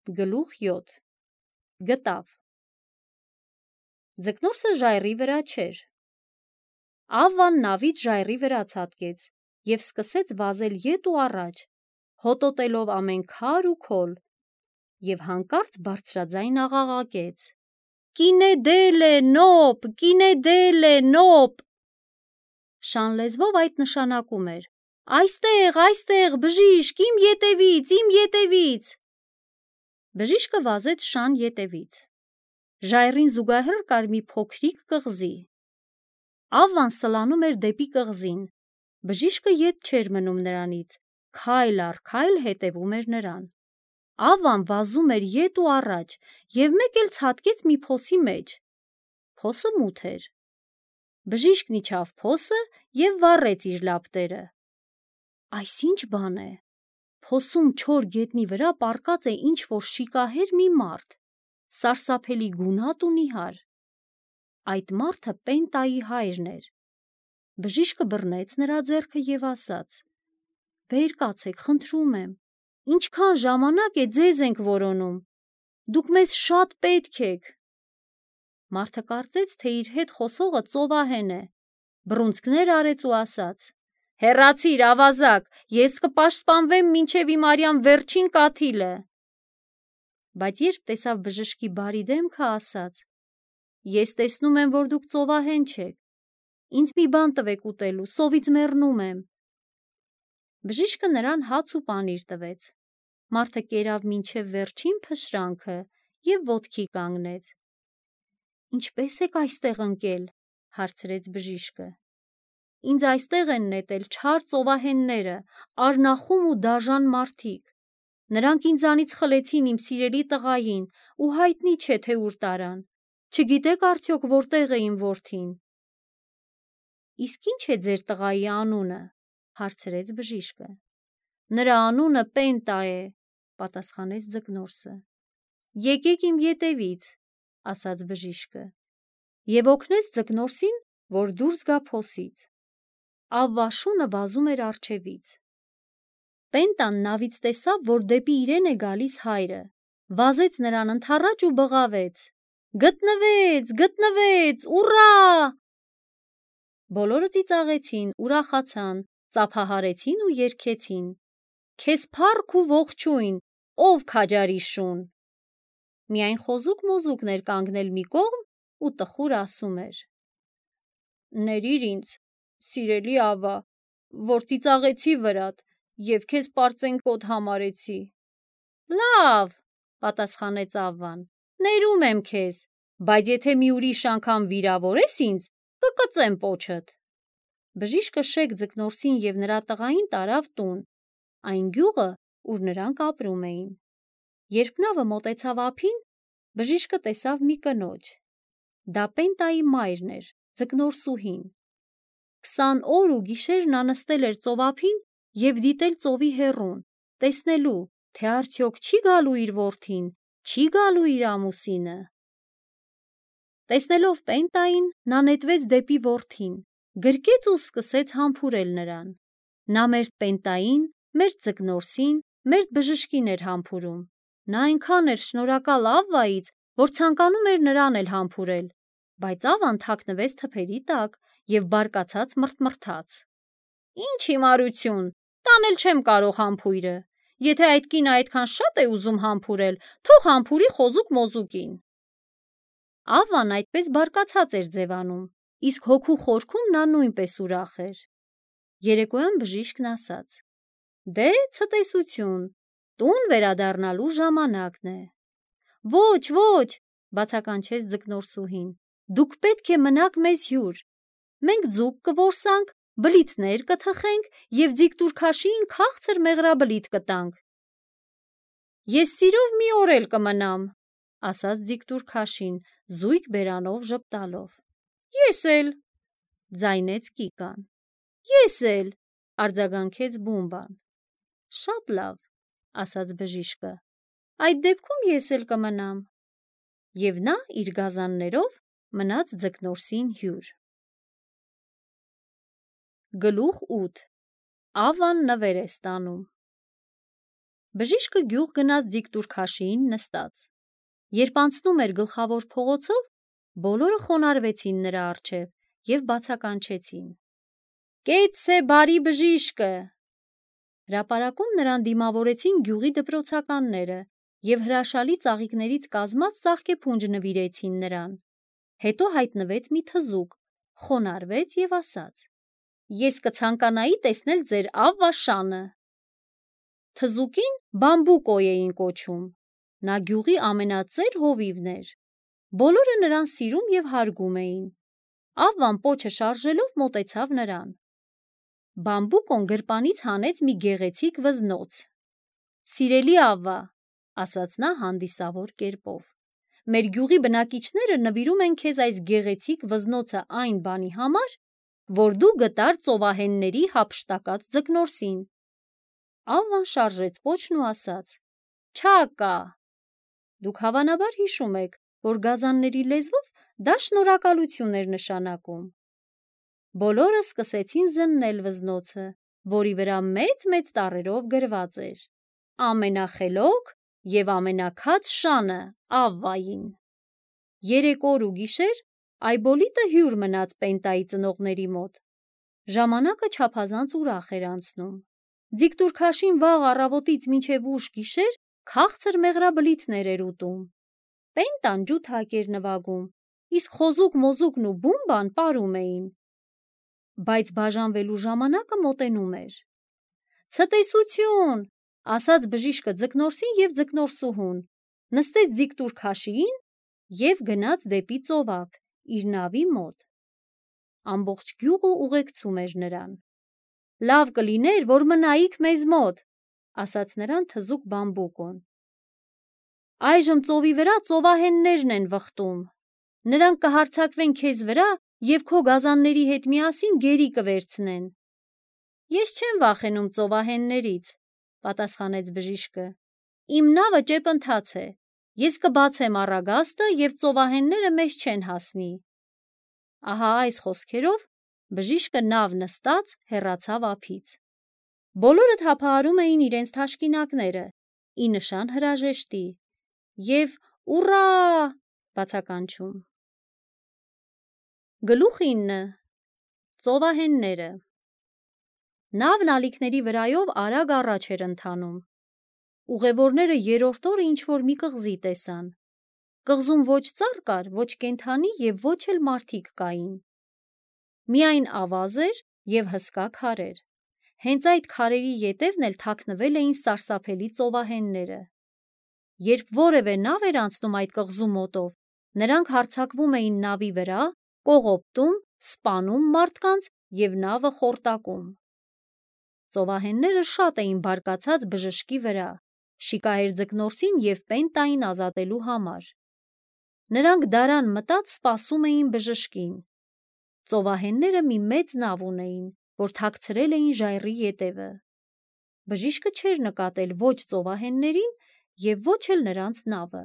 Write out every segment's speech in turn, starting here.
Գլուխ 7 Գտավ Ձկնորսը ժայռի վրա չէր։ Ավվան նավից ժայռի վրա ցատկեց և սկսեց վազել ետ ու առաջ, հոտոտելով ամեն քար ու քոլ, և հանկարծ բարձրաձայն աղաղակեց. «Կինե դելե, նոպ, կինե դելե, նոպ»։ Շան լեզվով այդ նշանակում էր. «Այստեղ, բժիշկ, իմ ետևից»։ Բժիշկը վազեց Շան ետևից։ Ժայռին զուգահեռ կար մի փոքրիկ կղզի։ Ավվան սլանում էր դեպի կղզին։ Բժիշկը ետ չէր մնում նրանից, քայլ առ քայլ հետևում էր նրան։ Ավվան վազում էր ետ ու առաջ և մեկ էլ ցատկեց մի փոսի մեջ։ Փոսը մութ էր։ Բժիշկն իջավ փոսը և վառեց իր լապտերը։ Այս ի՞նչ բան է։ Փոսում չոր գետնի վրա պառկած է ինչ-որ շիկահեր մի մարդ, սարսափելի գունատ ու նիհար։ Այդ մարդը Պենտայի հայրն էր։ Բժիշկը բռնեց նրա ձեռքը և ասաց. «Վեր կացեք, խնդրում եմ, ինչքան ժամանակ է ձեզ ենք որոնում, դուք մեզ շատ պետք եք»։ Մարդը կարծեց, թե իր հետ խոսողը ծովահեն է, բռունցքներ արեց ու ասաց. «Հեռացիր, ավազակ, ես կպաշտպանվեմ մինչև իմ արյան վերջին կաթիլը»։ Բայց երբ տեսավ բժշկի բարի դեմքը, ասաց. «Ես տեսնում եմ, որ դուք ծովահեն չեք, ինձ մի բան տվեք ուտելու, սովից մեռնում եմ»։ Բժիշկը նրան հաց ու պանիր տվեց։ Մարդը կերավ մինչև վերջին փշրանքը և ոտքի կանգնեց։ «Ինչպե՞ս եք այստեղ ընկել», հարցրեց բժիշկը։ «Ինձ այստեղ են նետել չար ծովահենները, արնախում ու դաժան մարդիկ։ Նրանք ինձանից խլեցին իմ սիրելի տղային ու հայտնի չէ, թե ուր տարան։ Չգիտեք արդյոք որտեղ է իմ որդին»։ «Իսկ ի՞նչ է ձեր տղայի անունը», հարցրեց բժիշկը։ «Նրա անունը Պենտա է», պատասխանեց ձկնորսը։ «Եկեք իմ ետևից», ասաց բժիշկը, և օգնեց ձկնորսին, որ դուրս գա փոսից։ Ավվա շունը վազում էր առջևից։ Պենտան նավից տեսավ, որ դեպի իրեն է գալիս հայրը, վազեց նրան ընդառաջ ու բղավեց. «Գտնվեց, ուռա»։ Բոլորը ծիծաղեցին, ուրախացան, ծափահարեցին ու երգեցին. «Քեզ փառք ու ողջույն, ով քաջարի շուն»։ Միայն խոզուկ-մոզուկն էր կանգնել մի կողմ ու տխուր ասում էր. «Ներիր ինձ, սիրելի ավա, որ ծիծաղեցի վրատ և քեզ պարծենկոտ համարեցի»։ «Լավ», պատասխանեց Ավվան, «ներում եմ քեզ, բայց եթե մի ուրիշ անգամ վիրավորես ինձ, կկծեմ պոչդ»։ Բժիշկը շեկ ձկնորսին և նրա տղային տարավ տուն, այն գյուղը, ուր նրանք ապրում էին։ Երբ նավը մոտեցավ ափին, բժիշկը տեսավ մի կնոջ։ Դա Պենտայի մայրն էր, ձկնորսուհին։ 20 օր ու գիշեր նա նստել էր ծովափին և դիտել ծովի հեռուն, տեսնելու, թե արդյոք չի գալու իր որդին, չի գալու իր ամուսինը։ Տեսնելով Պենտային, նա նետվեց դեպի որդին, գրկեց ու սկսեց համբուրել նրան։ Նա մերթ Պենտային, մերթ ձկնորսին, մերթ բժշկին էր համբուրում։ Նա այնքան էր շնորհակալ Ավվայից, որ ցանկանում էր նրան էլ համբուրել, բայց Ավվան թաքնվեց թփերի տակ և բարկացած մռթմռթաց. «Ինչ հիմարություն, տանել չեմ կարող համբույրը։ Եթե այդ կինը այդքան շատ է ուզում համբուրել, թող համբուրի խոզուկ-մոզուկին»։ Ավվան այդպես բարկացած էր ձևանում, իսկ հոգու խորքում նա նույնպես ուրախ էր։ Երեկոյան բժիշկն ասաց. «Դե, ցտեսություն, տուն վերադառնալու ժամանակն է»։ «Ոչ», բացականչեց ձկնորսուհին, «դուք պետք է մնաք մեզ հյուր։ Մենք ձուկ կորսանք, բլիթներ կթխենք և ձիգ-տուր-քաշիին քաղցր մեղրաբլիթ կտանք»։ «Ես սիրով մի օր էլ կմնամ», ասաց ձիգ-տուր-քաշին, զույգ բերանով ժպտալով։ «Ես էլ», ձայնեց Կիկան։ «Ես էլ», արձագանքեց Բումբան։ «Շատ լավ», ասաց բժիշկը, «այդ դեպքում ես էլ կմնամ»։ Եվ նա իր գազաններով մնաց ձկնորսին հյուր։ Գլուխ 8 Ավվան նվեր է ստանում։ Բժիշկը գյուղ գնաց Ձիգտուր քաշիին նստած։ Երբ անցնում էր գլխավոր փողոցով, բոլորը խոնարհվեցին նրա առջև և բացականչեցին. «Կեցցե բարի բժիշկը»։ Հրապարակում նրան դիմավորեցին գյուղի դպրոցականները և հրաշալի ծաղիկներից կազմած ծաղկեփունջ նվիրեցին նրան։ Հետո հայտնվեց մի թզուկ, խոնարհվեց և ասաց. «Ես կցանկանայի տեսնել ձեր Ավվա Շանը»։ Թզուկին Բամբուկո էին կոչում։ Նա գյուղի ամենածեր հովիվն էր։ Բոլորը նրան սիրում և հարգում էին։ Ավվան պոչը շարժելով մոտեցավ նրան։ Բամբուկոն գրպանից հանեց մի գեղեցիկ վզնոց։ «Սիրելի Ավվա», ասաց նա հանդիսավոր կերպով, «մեր գյուղի բնակիչները նվիրում են քեզ այս գեղեցիկ վզնոցը այն բանի համար, որ դու գտար ծովահենների հափշտակած ձկնորսին»։ Ավվան շարժեց պոչն ու ասաց. «Չակա»։ Դուք հավանաբար հիշում եք, որ գազանների լեզվով դա շնորհակալություն էր նշանակում։ Բոլորը սկսեցին զննել վզնոցը, որի վրա մեծ-մեծ տառերով գրված էր. «Ամենախելոք և ամենաքաց շանը Ավվային»։ 3 օր ու գիշեր Այբոլիտը հյուր մնաց Պենտայի ծնողների մոտ։ Ժամանակը չափազանց ուրախ էր անցնում։ Ձիգտուր քաշին վաղ առավոտից մինչև ուշ գիշեր քաղցր մեղրաբլիթներ էր ուտում։ Պենտան ջութակ էր նվագում, իսկ խոզուկ-մոզուկն ու Բումբան պարում էին։ Բայց բաժանվելու ժամանակը մոտենում էր։ «Ցտեսություն», ասաց բժիշկը ձկնորսին և ձկնորսուհուն, նստեց Ձիգտուր քաշիին և գնաց դեպի ծովափ, իր նավի մոտ։ Ամբողջ գյուղը ուղեկցում էր նրան։ «Լավ կլիներ, որ մնայիք մեզ մոտ», ասաց նրան թզուկ Բամբուկոն։ «Այժմ ծովի վրա ծովահեններն են վխտում։ Նրանք կհարձակվեն քեզ վրա և քո գազանների հետ միասին գերի կվերցնեն»։ «Ես չեմ վախենում ծովահեններից», պատասխանեց բժիշկը։ «Իմ նավը ճեպընթաց է։ Ես կբացեմ առագաստը և ծովահենները մեզ չեն հասնի»։ Ահա այս խոսքերով բժիշկը նավ նստած հեռացավ ափից։ Բոլորը թափահարում էին իրենց թաշկինակները, ի նշան հրաժեշտի, և «Ուռա» բացականչում։ Գլուխ 9. Ծովահենները։ Նավն ալիքների վրայով արագ առաջ էր ընթանում։ Ուղևորները երրորդ օրը ինչ-որ մի կղզի տեսան։ Կղզում ոչ ծառ կար, ոչ կենդանի և ոչ էլ մարդիկ կային։ Միայն ավազ էր և հսկա քարեր։ Հենց այդ քարերի ետևն էլ թաքնվել էին սարսափելի ծովահենները։ Երբ որևէ նավ էր անցնում այդ կղզու մոտով, նրանք հարձակվում էին նավի վրա, կողոպտում, սպանում մարդկանց և նավը խորտակում։ Ծովահենները շատ էին բարկացած բժշկի վրա, շիկահեր ձկնորսին և Պենտային ազատելու համար։ Նրանք դարան մտած սպասում էին բժշկին։ Ծովահենները մի մեծ նավ ունեին, որ թաքցրել էին ժայռի ետևը։ Բժիշկը չէր նկատել ոչ ծովահեններին և ոչ էլ նրանց նավը։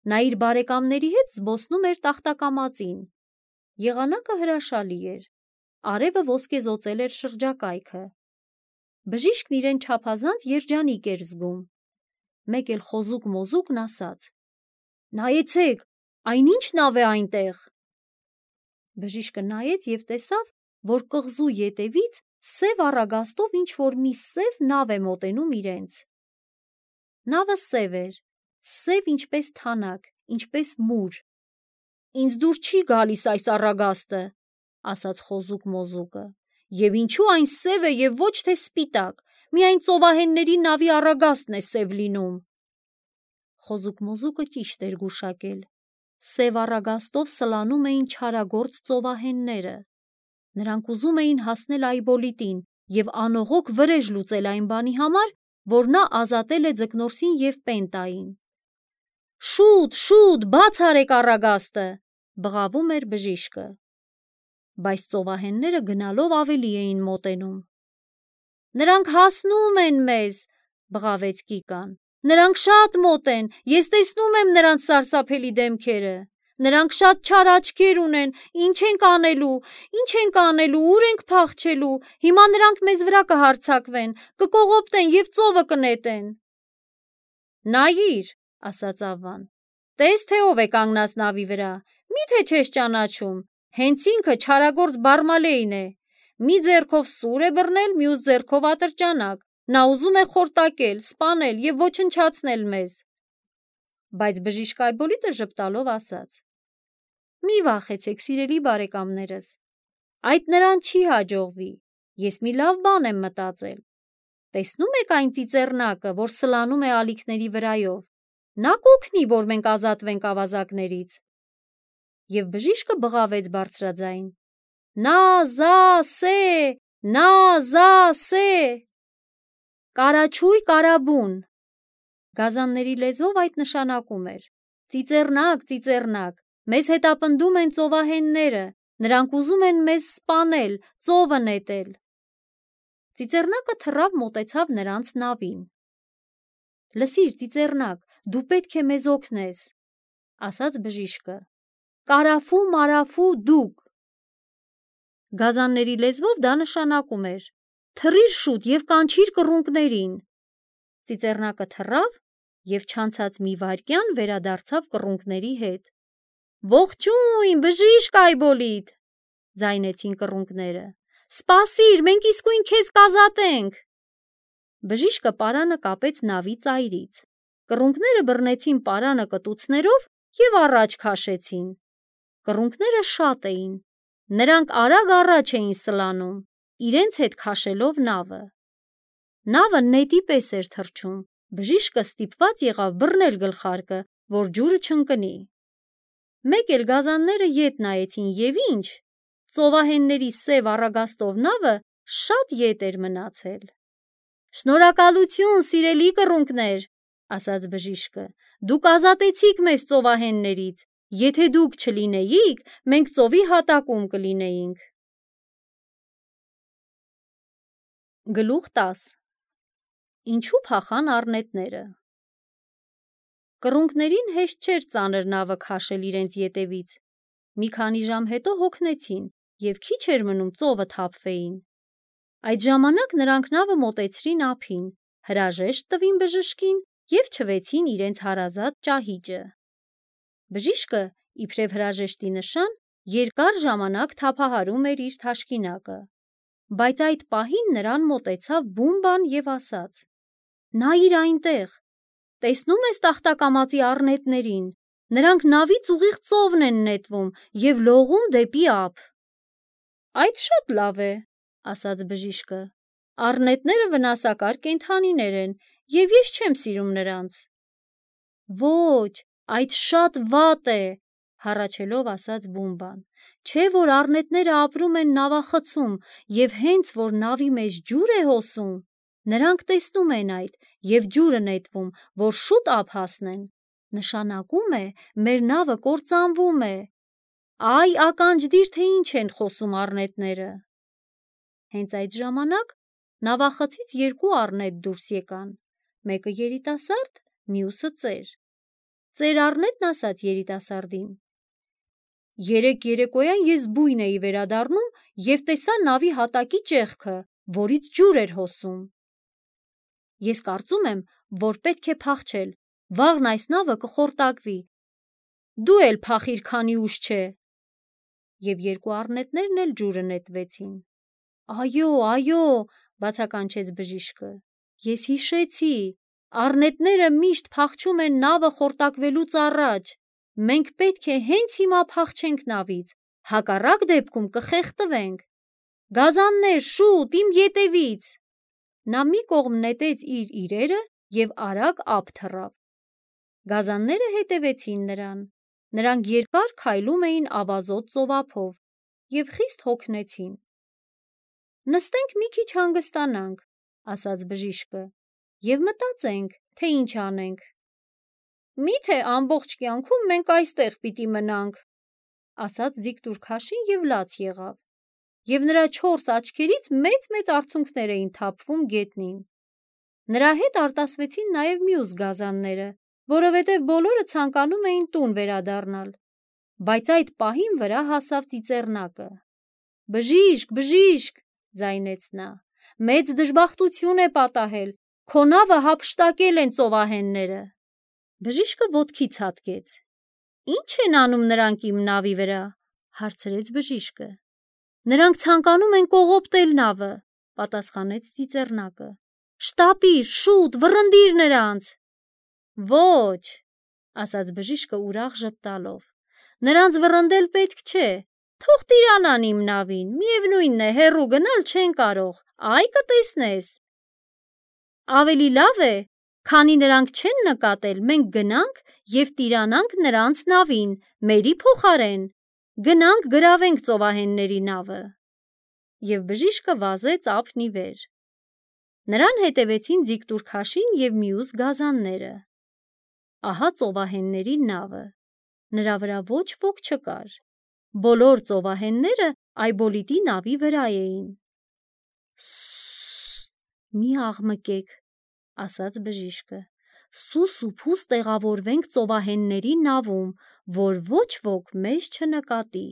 Նա իր բարեկամների հետ զբոսնում էր տախտակամածին։ Եղանակը հրաշալի էր։ Արևը ոսկեզօծել էր շրջակայքը։ Բժիշկն իրեն չափազանց երջանիկ էր զգում։ Մեկ էլ խոզուկ-մոզուկն ասաց. «Նայեցեք, այն ի՞նչ նավ է այնտեղ»։ Բժիշկը նայեց և տեսավ, որ կղզու ետևից սև առագաստով ինչ-որ մի սև նավ է մոտենում իրենց։ Նավը սև էր, սև ինչպես թանաք, ինչպես մուր։ «Ինձ դուր չի գալիս այս առագաստը», ասաց խոզուկ-մոզուկը, «և ինչու այն սև է և ոչ թե սպիտակ, միայն ծովահենների նավի առագաստն է սև լինում»։ Խոզուկ-մոզուկը ճիշտ էր գուշակել։ Սև առագաստով սլանում էին չարագործ ծովահենները։ Նրանք ուզում էին հասնել Այբոլիտին և անողոք վրեժ լուծել այն բանի համար, որ նա ազատել է ձկնորսին և Պենտային։ «Շուտ, շուտ, բաց արեք առագաստը», բղավում էր բժիշկը։ Բայց ծովահենները գնալով ավելի էին մոտենում։ «Նրանք հասնում են մեզ», բղավեց Կիկան։ «Նրանք շատ մոտ են, ես տեսնում եմ նրանց սարսափելի դեմքերը։ Նրանք շատ չար աչքեր ունեն, ինչ ենք անելու, ուր ենք փախչելու, հիմա նրանք մեզ վրա կհարձակվեն, կկողոպտեն և ծովը կնետեն»։ Նայիր, ասաց Ավվան, տես թե ով է կանգնած նավի վրա, միթե չես ճանաչում, հենց ինքը չարագործ Բարմալեին է, մի ձեռքով սուր է բռնել, մյուս ձեռքով ատրճանակ, նա ուզում է խորտակել, սպանել և ոչնչացնել մեզ։ Բայց բժիշկ Այբոլիտը ժպտալով ասաց. Մի վախեցեք, սիրելի բարեկամներս, այդ նրան չի հաջողվի, ես մի լավ բան եմ մտածել։ Տեսնում եք այն ծիծեռնակը, որ սլանում է ալիքների վրայով, նա կօգնի, որ մենք ազատվենք ավազակներից։ Եվ բժիշկը բղավեց բարձրաձայն. Նա-զա-սե, նա-զա-սե, կարաչույ կարաբուն։ Գազանների լեզվով այդ նշանակում էր. ծիծեռնակ, ծիծեռնակ, մեզ հետապնդում են ծովահենները, նրանք ուզում են մեզ սպանել, ծովը նետել։ Ծիծեռնակը թռավ մոտեցավ նրանց նավին։ Լսիր, ծիծեռնակ, դու պետք է մեզ օգնես, ասաց բժիշկը։ Կարաֆու մարաֆու դուք։ Գազանների լեզվով դա նշանակում էր. թռիր շուտ և կանչիր կռունկներին։ Ծիծեռնակը թռավ և չանցած մի վայրկյան վերադարձավ կռունկների հետ։ Ողջույն, բժիշկ Այբոլիտ, ձայնեցին կռունկները։ Սպասիր, մենք իսկույն քեզ կազատենք։ Բժիշկը պարանը կապեց նավի ծայրից։ Կռունկները բռնեցին պարանը կտուցներով և առաջ քաշեցին։ Կռունկները շատ էին։ Նրանք արագ առաջ էին սլանում, իրենց հետ քաշելով նավը։ Նավը նետի պես էր թռչում, բժիշկը ստիպված եղավ բռնել գլխարկը, որ ջուրը չընկնի։ Մեկ էլ գազանները ետ նայեցին և ինչ, ծովահենների սև առագաստով նավը շատ ետ էր մնացել։ Շնորհակալություն, սիրելի կռունկներ, ասաց բժիշկը, դուք ազատեցիք մեզ ծովահեններից, եթե դուք չլինեիք, մենք ծովի հատակում կլինեինք։ Գլուխ 10. Ինչու փախան առնետները։ Կռունկներին հեշտ չէր ծանր նավը քաշել իրենց ետևից։ Մի քանի ժամ հետո հոգնեցին և քիչ էր մնում ծովը թափվեին։ Այդ ժամանակ նրանք նավը մոտեցրին ափին, հրաժեշտ տվին բժշկին և չվեցին իրենց հարազատ ճահիճը։ Բժիշկը, իբրև հրաժեշտի նշան, երկար ժամանակ թափահարում էր իր թաշկինակը։ Բայց այդ պահին նրան մոտեցավ Բումբան և ասաց. Նայիր այնտեղ, տեսնում ես տախտակամածի առնետներին, նրանք նավից ուղիղ ծովն են նետվում և լողում դեպի ափ։ Այդ շատ լավ է, ասաց բժիշկը, առնետները վնասակար կենդանիներ են և ես չեմ սիրում նրանց։ Ոչ, այդ շատ վատ է, հառաչելով ասաց Բումբան, չէ որ առնետները ապրում են նավախցում և հենց որ նավի մեջ ջուր է հոսում, նրանք տեսնում են այդ և ջուրը նետվում, որ շուտ ափ հասնեն, նշանակում է մեր նավը կործանվում է։ Այ ականջդիր, թե ինչ են խոսում առնետները։ Հենց այդ ժամանակ նավախցից երկու առնետ դուրս եկան, մեկը երիտասարդ, մյուսը ծեր։ Ծեր առնետն ասաց երիտասարդին. Երեկ երեկոյան ես բույն էի վերադառնում և տեսա նավի հատակի ճեղքը, որից ջուր էր հոսում։ Ես կարծում եմ, որ պետք է փախչել, վաղն այս նավը կխորտակվի։ Դու էլ փախիր, քանի ուշ չէ։ Եվ երկու առնետներն էլ ջուրը նետվեցին։ Այո, այո, բացականչեց բժիշկը, ես հիշեցի, առնետները միշտ փախչում են նավը խորտակվելուց առաջ։ Մենք պետք է հենց հիմա փախչենք նավից, հակառակ դեպքում կխեղդվենք։ Գազաններ, շուտ, իմ ետևից։ Նա մի կողմ նետեց իր իրերը և արագ ափ թռավ։ Գազանները հետևեցին նրան։ Նրանք երկար քայլում էին ավազոտ ծովափով և խիստ հոգնեցին։ Նստենք մի քիչ հանգստանանք, ասաց բժիշկը, և մտածենք, թե ինչ անենք։ Միթե ամբողջ կյանքում մենք այստեղ պիտի մնանք, ասաց ձիգ-տուրքաշին և լաց եղավ։ Եվ նրա 4 աչքերից մեծ-մեծ արցունքներ էին թափվում գետնին։ Նրա հետ արտասվեցին նաև մյուս գազանները, որովհետև բոլորը ցանկանում էին տուն վերադառնալ։ Բայց այդ պահին վրա հասավ ծիծեռնակը։ Բժիշկ, բժիշկ, ձայնեց նա, մեծ դժբախտություն է պատահել, քո նավը հափշտակել են ծովահենները։ Բժիշկը ոտքից հատկեց։ Ինչ են անում նրանք իմ նավի վրա, հարցրեց բժիշկը։ Նրանք ցանկանում են կողոպտել նավը, պատասխանեց ծիծեռնակը։ Շտապիր, շուտ, վռնդիր նրանց։ Ոչ, ասաց բժիշկը ուրախ ժպտալով։ Նրանց վռնդել պետք չէ։ Թող տիրանան իմ նավին, միևնույն է, հեռու գնալ չեն կարող, այ կտեսնես։ Ավելի լավ է, քանի նրանք չեն նկատել, մենք գնանք և տիրանանք նրանց նավին, մերի փոխարեն, գնանք գրավենք ծովահենների նավը։ Եվ բժիշկը վազեց ափն ի վեր։ Նրան հետևեցին ձիգտուրքաշին և մյուս գազանները։ Ահա ծովահենների նավը։ Նրա վրա ոչ ոք չկար։ Բոլոր ծովահենները Այբոլիտի նավի վրա էին։ Սուս, մի աղմկեք, ասաց բժիշկը։ Սուս ու փուս տեղավորվենք ծովահենների նավում, որ ոչ ոք մեզ չնկատի։